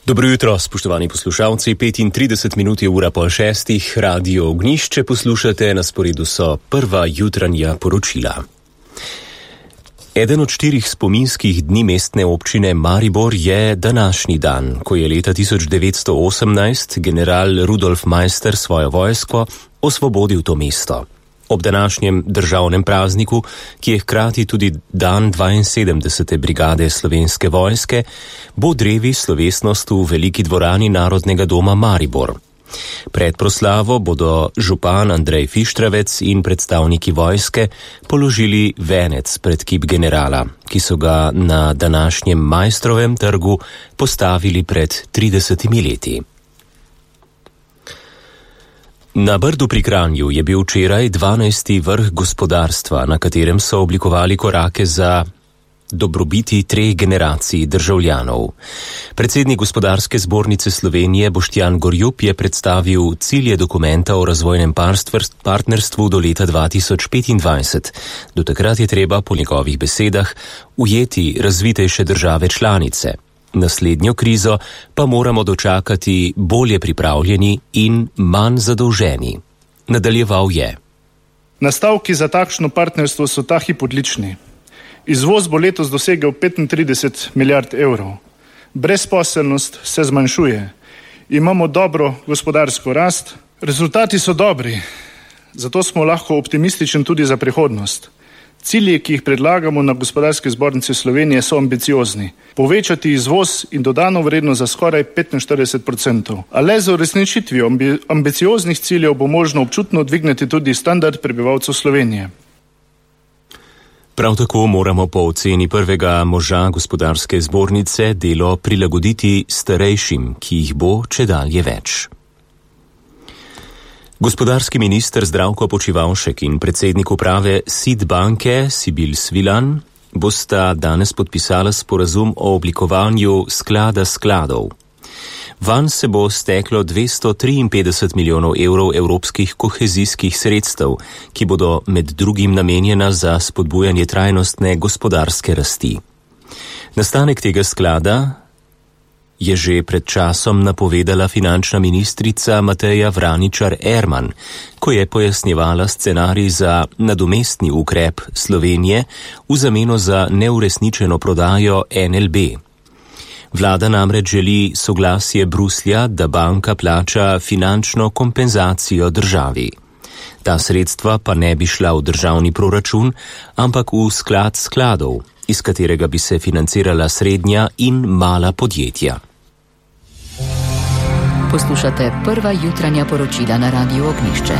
Dobro jutro, spoštovani poslušalci. 35 minut je ura pol šestih, Radio Ognjišče poslušate, na sporedu so prva jutranja poročila. Eden od 4 spominskih dni mestne občine Maribor je današnji dan, ko je leta 1918 general Rudolf Meister svojo vojsko osvobodil to mesto. Ob današnjem državnem prazniku, ki je hkrati tudi dan 72. brigade slovenske vojske, bo drevi slovesnost v veliki dvorani Narodnega doma Maribor. Pred proslavo bodo župan Andrej Fištravec in predstavniki vojske položili venec pred kip generala, ki so ga na današnjem Maistrovem trgu postavili pred 30 leti. Na Brdu pri Kranju je bil včeraj 12. vrh gospodarstva, na katerem so oblikovali korake za dobrobiti 3 generacij državljanov. Predsednik Gospodarske zbornice Slovenije Boštjan Gorjup je predstavil cilje dokumenta o razvojnem partnerstvu do leta 2025. Do takrat je treba, po njegovih besedah, ujeti razvitejše države članice. Naslednjo krizo pa moramo dočakati bolje pripravljeni in manj zadolženi. Nadaljeval je. Nastavki za takšno partnerstvo so ta hip odlični. Izvoz bo letos dosegel 35 milijard evrov. Brezposelnost se zmanjšuje. Imamo dobro gospodarsko rast. Rezultati so dobri. Zato smo lahko optimistični tudi za prihodnost. Cilji, ki jih predlagamo na Gospodarski zbornici Slovenije, so ambiciozni. Povečati izvoz in dodano vrednost za skoraj 45%. A le z uresničitvijo ambicioznih ciljev bo možno občutno dvigniti tudi standard prebivalcev Slovenije. Prav tako moramo po oceni prvega moža Gospodarske zbornice delo prilagoditi starejšim, ki jih bo čedalje več. Gospodarski minister Zdravko Počivalšek in predsednik uprave SID banke Sibil Svilan bosta danes podpisala sporazum o oblikovanju sklada skladov. Vanj se bo steklo 253 milijonov evrov evropskih kohezijskih sredstev, ki bodo med drugim namenjena za spodbujanje trajnostne gospodarske rasti. Nastanek tega sklada je že pred časom napovedala finančna ministrica Mateja Vraničar-Erman, ko je pojasnjevala scenarij za nadomestni ukrep Slovenije v zameno za neuresničeno prodajo NLB. Vlada namreč želi soglasje Bruslja, da banka plača finančno kompenzacijo državi. Ta sredstva pa ne bi šla v državni proračun, ampak v sklad skladov, iz katerega bi se financirala srednja in mala podjetja. Poslušate prva jutranja poročila na Radiu Ognjišče.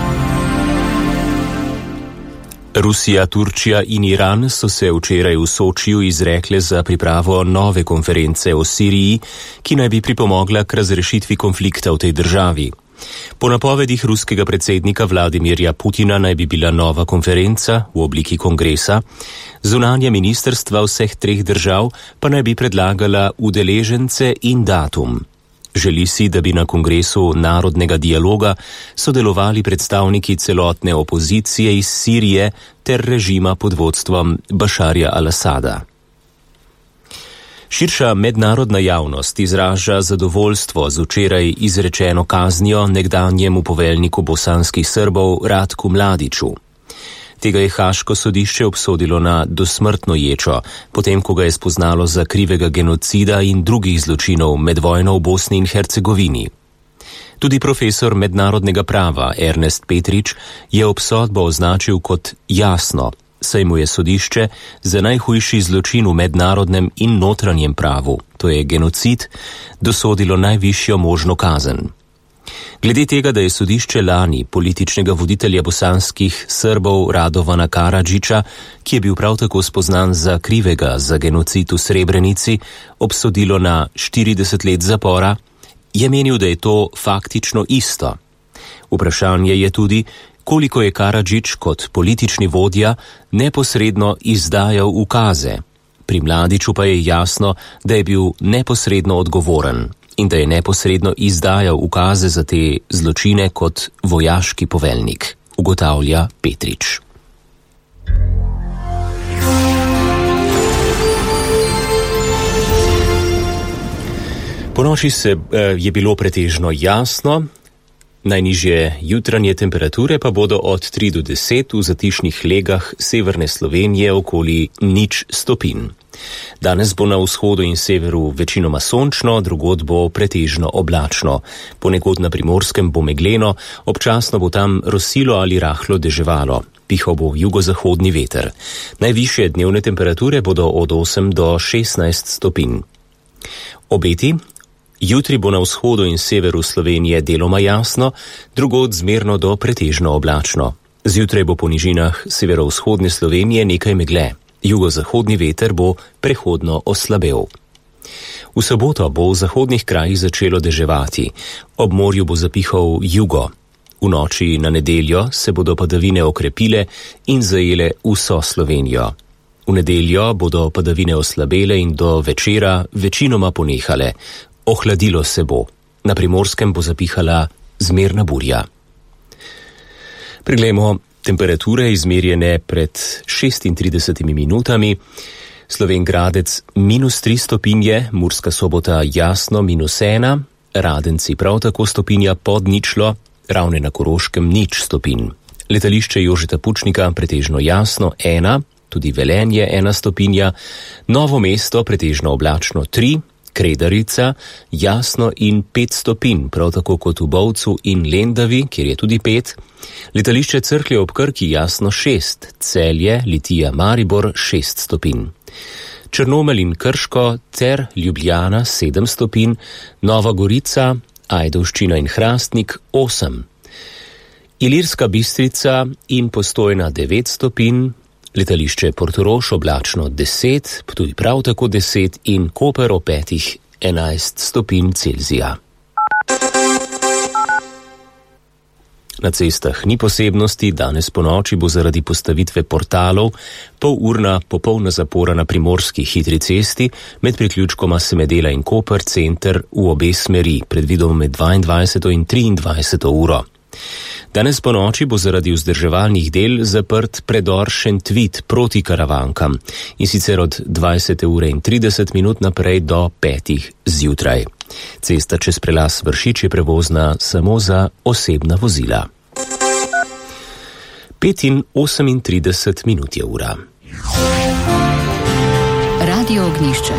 Rusija, Turčija in Iran so se včeraj v Sočiju izrekle za pripravo nove konference o Siriji, ki naj bi pripomogla k razrešitvi konflikta v tej državi. Po napovedih ruskega predsednika Vladimirja Putina naj bi bila nova konferenca v obliki kongresa, zunanja ministrstva vseh 3 držav pa naj bi predlagala udeležence in datum. Želi si, da bi na kongresu narodnega dialoga sodelovali predstavniki celotne opozicije iz Sirije ter režima pod vodstvom Bašarja al-Asada. Širša mednarodna javnost izraža zadovoljstvo z včeraj izrečeno kaznijo nekdanjemu poveljniku bosanskih Srbov Ratku Mladiću. Tega je Haaško sodišče obsodilo na dosmrtno ječo, potem ko ga je spoznalo za krivega genocida in drugih zločinov med vojno v Bosni in Hercegovini. Tudi profesor mednarodnega prava Ernest Petrič je obsodbo označil kot jasno, saj mu je sodišče za najhujši zločin v mednarodnem in notranjem pravu, to je genocid, dosodilo najvišjo možno kazen. Glede tega, da je sodišče lani političnega voditelja bosanskih Srbov Radovana Karadžića, ki je bil prav tako spoznan za krivega za genocid v Srebrenici, obsodilo na 40 let zapora, je menil, da je to faktično isto. Vprašanje je tudi, koliko je Karadžić kot politični vodja neposredno izdajal ukaze. Pri Mladiću pa je jasno, da je bil neposredno odgovoren in da je neposredno izdajal ukaze za te zločine kot vojaški poveljnik, ugotavlja Petrič. Ponoči je bilo pretežno jasno, najnižje jutranje temperature pa bodo od 3 do 10 v zatišnih legah severne Slovenije okoli 0 stopinj. Danes bo na vzhodu in severu večinoma sončno, drugod bo pretežno oblačno. Ponekod na Primorskem bo megleno, občasno bo tam rosilo ali rahlo deževalo. Pihal bo jugozahodni veter. Najvišje dnevne temperature bodo od 8 do 16 stopinj. Obeti? Jutri bo na vzhodu in severu Slovenije deloma jasno, drugod zmerno do pretežno oblačno. Zjutraj bo po nižinah severovzhodne Slovenije nekaj megle. Jugozahodni veter bo prehodno oslabel. V soboto bo v zahodnih krajih začelo deževati. Ob morju bo zapihal jugo. V noči na nedeljo se bodo padavine okrepile in zajele vso Slovenijo. V nedeljo bodo padavine oslabele in do večera večinoma ponehale. Ohladilo se bo. Na Primorskem bo zapihala zmerna burja. Preglejmo temperature izmerjene pred 36 minutami. Slovenj Gradec -3 stopinje, Murska Sobota jasno -1, Radenci prav tako stopinja pod ničlo, Ravne na Koroškem 0 stopinj. Letališče Jožeta Pučnika pretežno jasno 1, tudi Velenje 1 stopinja, Novo mesto pretežno oblačno 3, Kredarica jasno in 5 stopinj, prav tako kot v Bovcu in Lendavi, kjer je tudi 5, letališče Cerklje ob Krki jasno 6, Celje, Litija, Maribor 6 stopinj. Črnomelj in Krško ter Ljubljana 7 stopinj, Nova Gorica, Ajdovščina in Hrastnik 8. Ilirska Bistrica in Postojna 9 stopinj, letališče Portorož oblačno 10, tudi prav tako 10 in Koper ob 5 11 stopinj Celzija. Na cestah ni posebnosti, danes ponoči bo zaradi postavitve portalov polurna popolna zapora na primorski hitri cesti med priključkoma Semedela in Koper center v obe smeri, predvidoma med 22. in 23. uro. Danes ponoči bo zaradi vzdrževalnih del zaprt predor Šentvid proti Karavankam in sicer od 20. ure in 30 minut naprej do 5. zjutraj. Cesta čez prelaz Vršič je prevozna samo za osebna vozila. 5:38 minut je ura. Radio Ognjišče.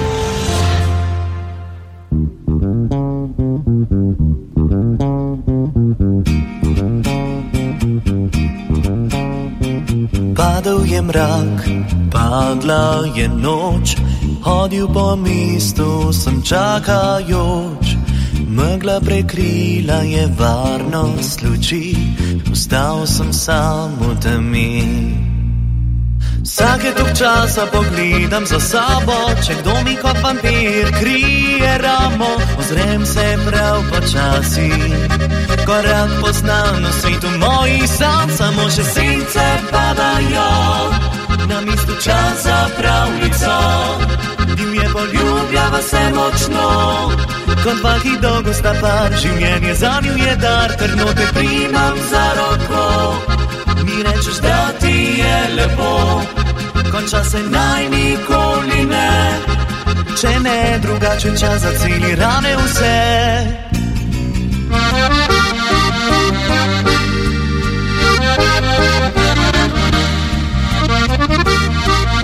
Padal je mrak, padla je noč, hodil po mestu sem čakajoč. Megla prekrila je varnost luči, ostal sem sam v temi. Vsake tok časa pogledam za sabo, če kdo mi kot vampir krije ramo. Ozrem se prav počasi, korak poznam na svetu mojih sanj. Samo še sence padajo, na mestu čas za pravljico. Divje poljubljava se močno, kot dva, ki dolgo sta par. Življenje zanju je dar, trdno te primam za roko. Mi rečeš, da ti je lepo, konča se naj nikoli ne. Če ne drugače čas za celi rane vse.